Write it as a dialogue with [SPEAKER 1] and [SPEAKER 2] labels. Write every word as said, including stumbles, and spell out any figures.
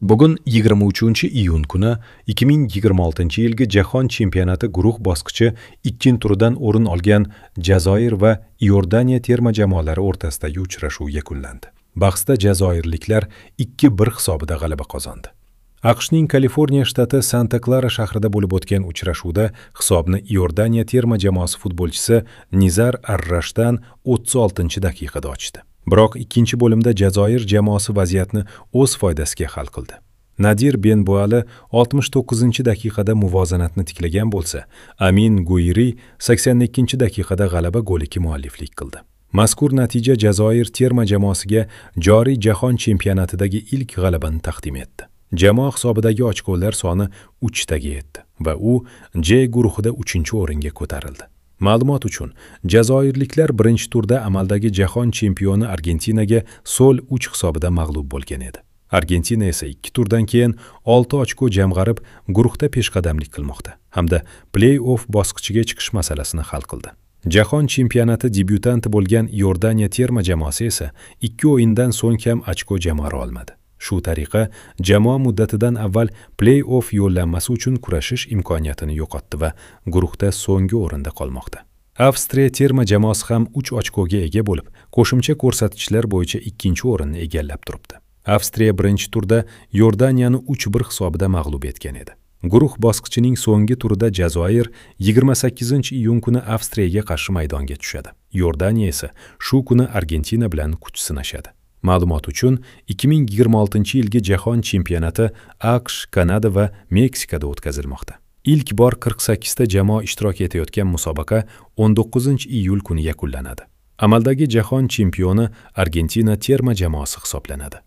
[SPEAKER 1] Bugun yigirma uchinchi iyun kuni ikki ming yigirma oltinchi yilgi Jahon chempionati guruh bosqichi ikkinchi turidan o'rin olgan Jazoir va Iordaniya terma jamoalari o'rtasidagi uchrashuv yakunlandi. Bahsda jazoirliklar ikki bir hisobida g'alaba qozondi. A Q Shning Kaliforniya shtati Santa-Klara shahrida bo'lib o'tgan uchrashuvda hisobni Iordaniya terma jamoasi futbolchisi Nizar Arrashdan o'ttiz oltinchi daqiqada ochdi. Biroq ikkinchi bo'limda Jazoir jamoasi vaziyatni o'z foydasiga hal qildi. Nadir Benbuali oltmish to'qqizinchi daqiqada muvozanatni tiklagan bo'lsa, Amin Guiri sakson ikkinchi daqiqada g'alaba goliga mualliflik qildi. Mazkur natija Jazoir terma jamoasiga joriy jahon chempionatidagi ilk g'alabani taqdim etdi. Jamoa hisobidagi ochkolar soni uchtaga yetdi va u J guruhida uchinchi o'ringa ko'tarildi. Ma'lumot uchun, jazoirliklar birinchi turda amaldagi jahon chempioni Argentinaga sol uch hisobida mag'lub bo'lgan edi. Argentina esa ikki turdan keyin olti ochko jamg'arib, guruhda peshqadamlik qilmoqda hamda play-off bosqichiga chiqish masalasini hal qildi. Jahon chempionati debyutanti bo'lgan Iordaniya terma jamoasi esa ikki o'yindan so'ng ham ochko jamg'ara olmadi. Shu tariqa jamoa muddatidan avval play-off yo'llanmasi uchun kurashish imkoniyatini yo'qotdi va guruhda so'nggi o'rinda qolmoqda. Avstriya terma jamoasi ham uch ochkoga ega bo'lib, qo'shimcha ko'rsatkichlar bo'yicha ikkinchi o'rinni egallab turibdi. Avstriya birinchi turda Iordaniyani uch bir hisobida mag'lub etgan edi. Guruh bosqichining so'nggi turida Jazoir yigirma sakkizinchi iyun kuni Avstriyaga qarshi maydonga tushadi. Iordaniya esa shu kuni Argentina bilan kuch sinashadi. Ma'lumot uchun, ikki ming yigirma oltinchi yilgi Jahon chempionati A Q Sh, Kanada va Meksikada o'tkazilmoqda. Ilk bor qirq sakkizta jamoa ishtirok etayotgan musobaqa o'n to'qqizinchi iyul kuni yakunlanadi. Amaldagi jahon chempioni Argentina terma jamoasi hisoblanadi.